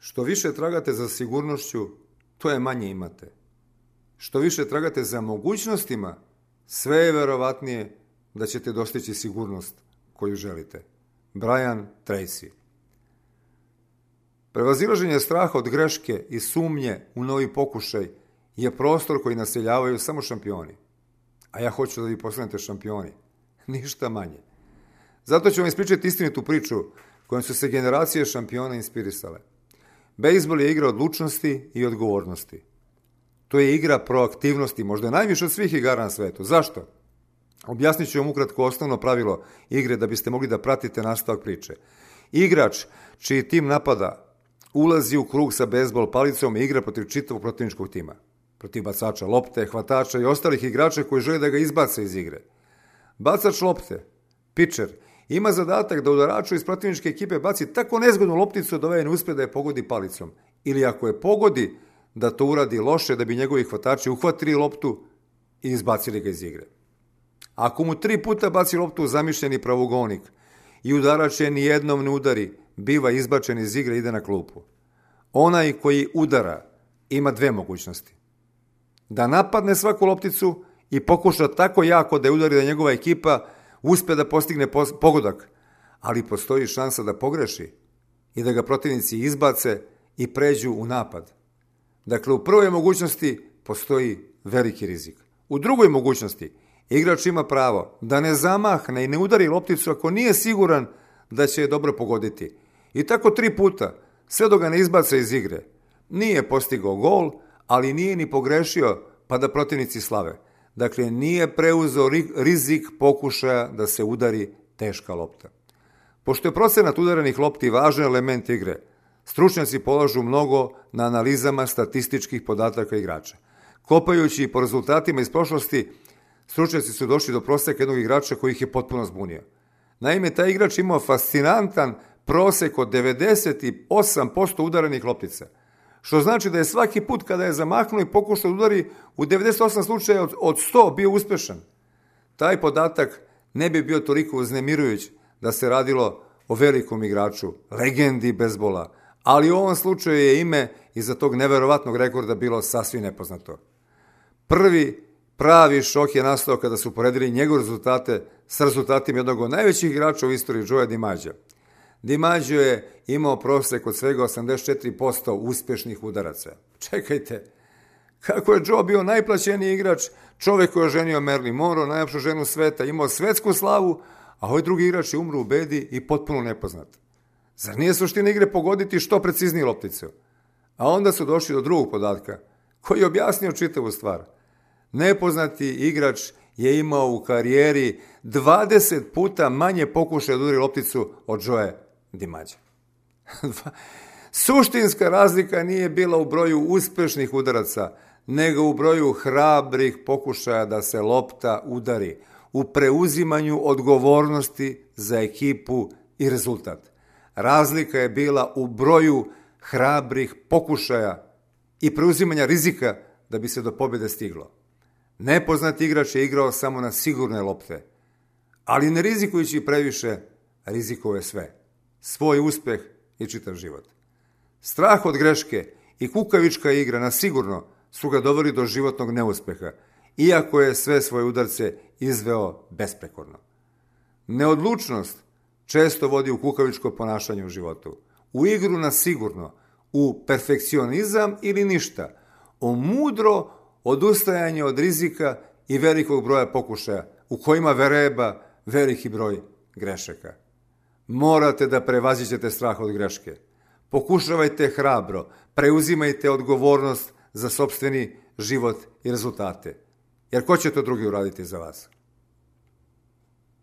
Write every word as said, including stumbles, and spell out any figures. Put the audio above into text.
Što više tragate za sigurnošću, to je manje imate. Što više tragate za mogućnostima, sve je verovatnije da ćete dostići sigurnost koju želite. Brian Tracy. Prevazilaženje straha od greške i sumnje u novi pokušaj je prostor koji naseljavaju samo šampioni. A ja hoću da vi postanete šampioni. Ništa manje. Zato ću vam ispričati istinitu priču kojom su se generacije šampiona inspirisale. Bejzbol je igra odlučnosti i odgovornosti. To je igra proaktivnosti, možda najviše od svih igara na svetu. Zašto? Objasnit ću vam ukratko osnovno pravilo igre da biste mogli da pratite nastavak priče. Igrač čiji tim napada ulazi u krug sa bejzbol palicom i igra protiv čitavog protivničkog tima. Protiv bacača lopte, hvatača i ostalih igrača koji žele da ga izbace iz igre. Bacač lopte, pičer, ima zadatak da udaraču iz protivničke ekipe baci tako nezgodnu lopticu da ovaj ne uspe da je pogodi palicom. Ili ako je pogodi, da to uradi loše da bi njegovi hvatači uhvatili loptu i izbacili ga iz igre. Ako mu tri puta baci loptu u zamišljeni pravougonik i udarač je nijednom ne udari, biva izbačen iz igre i ide na klupu. Onaj koji udara ima dve mogućnosti. Da napadne svaku lopticu i pokuša tako jako da je udari da njegova ekipa uspe da postigne pogodak, ali postoji šansa da pogreši i da ga protivnici izbace i pređu u napad. Dakle, u prvoj mogućnosti postoji veliki rizik. U drugoj mogućnosti igrač ima pravo da ne zamahne i ne udari lopticu ako nije siguran da će je dobro pogoditi. I tako tri puta, sve dok ga ne izbace iz igre. Nije postigao gol, ali nije ni pogrešio pa da protivnici slave. Dakle, nije preuzeo rizik pokušaja da se udari teška lopta. Pošto je procenat udaranih lopti važan element igre, stručnjaci polažu mnogo na analizama statističkih podataka igrača. Kopajući po rezultatima iz prošlosti, stručnjaci su došli do proseka jednog igrača koji ih je potpuno zbunio. Naime, taj igrač imao fascinantan prosek od devedeset osam posto udaranih loptica, što znači da je svaki put kada je zamahnuo i pokušao da udari u devedeset osam slučaja od sto bio uspešan. Taj podatak ne bi bio toliko uznemirujuć da se radilo o velikom igraču, legendi bejzbola, ali u ovom slučaju je ime iza tog neverovatnog rekorda bilo sasvim nepoznato. Prvi pravi šok je nastao kada su poredili njegove rezultate sa rezultatima jednog od najvećih igrača u istoriji, Joea DiMaggio. DiMaggio je imao prosek od svega osamdeset četiri posto uspešnih udaraca. Čekajte, kako je Joe bio najplaćeniji igrač, čovek koji je oženio Marilyn Monroe, najljepšu ženu sveta, imao svetsku slavu, a ovaj drugi igrač je umro u bedi i potpuno nepoznat. Zar nije suština igre pogoditi što precizniji lopticu? A onda su došli do drugog podatka, koji je objasnio čitavu stvar. Nepoznati igrač je imao u karijeri dvadeset puta manje pokušaja da udari lopticu od Joea DiMaggio. Suštinska razlika nije bila u broju uspešnih udaraca, nego u broju hrabrih pokušaja da se lopta udari, u preuzimanju odgovornosti za ekipu i rezultat. Razlika je bila u broju hrabrih pokušaja i preuzimanja rizika da bi se do pobjede stiglo. Nepoznati igrač je igrao samo na sigurne lopte, ali ne rizikujući previše, rizikovao je sve. Svoj uspeh i čitav život. Strah od greške i kukavička igra na sigurno su ga doveli do životnog neuspeha, iako je sve svoje udarce izveo besprekorno. Neodlučnost često vodi u kukavičko ponašanje u životu, u igru na sigurno, u perfekcionizam ili ništa, o mudro odustajanje od rizika i velikog broja pokušaja, u kojima vereba veliki broj grešaka. Morate da prevaziđete strah od greške. Pokušavajte hrabro, preuzimajte odgovornost za sopstveni život i rezultate. Jer ko će to drugi uraditi za vas?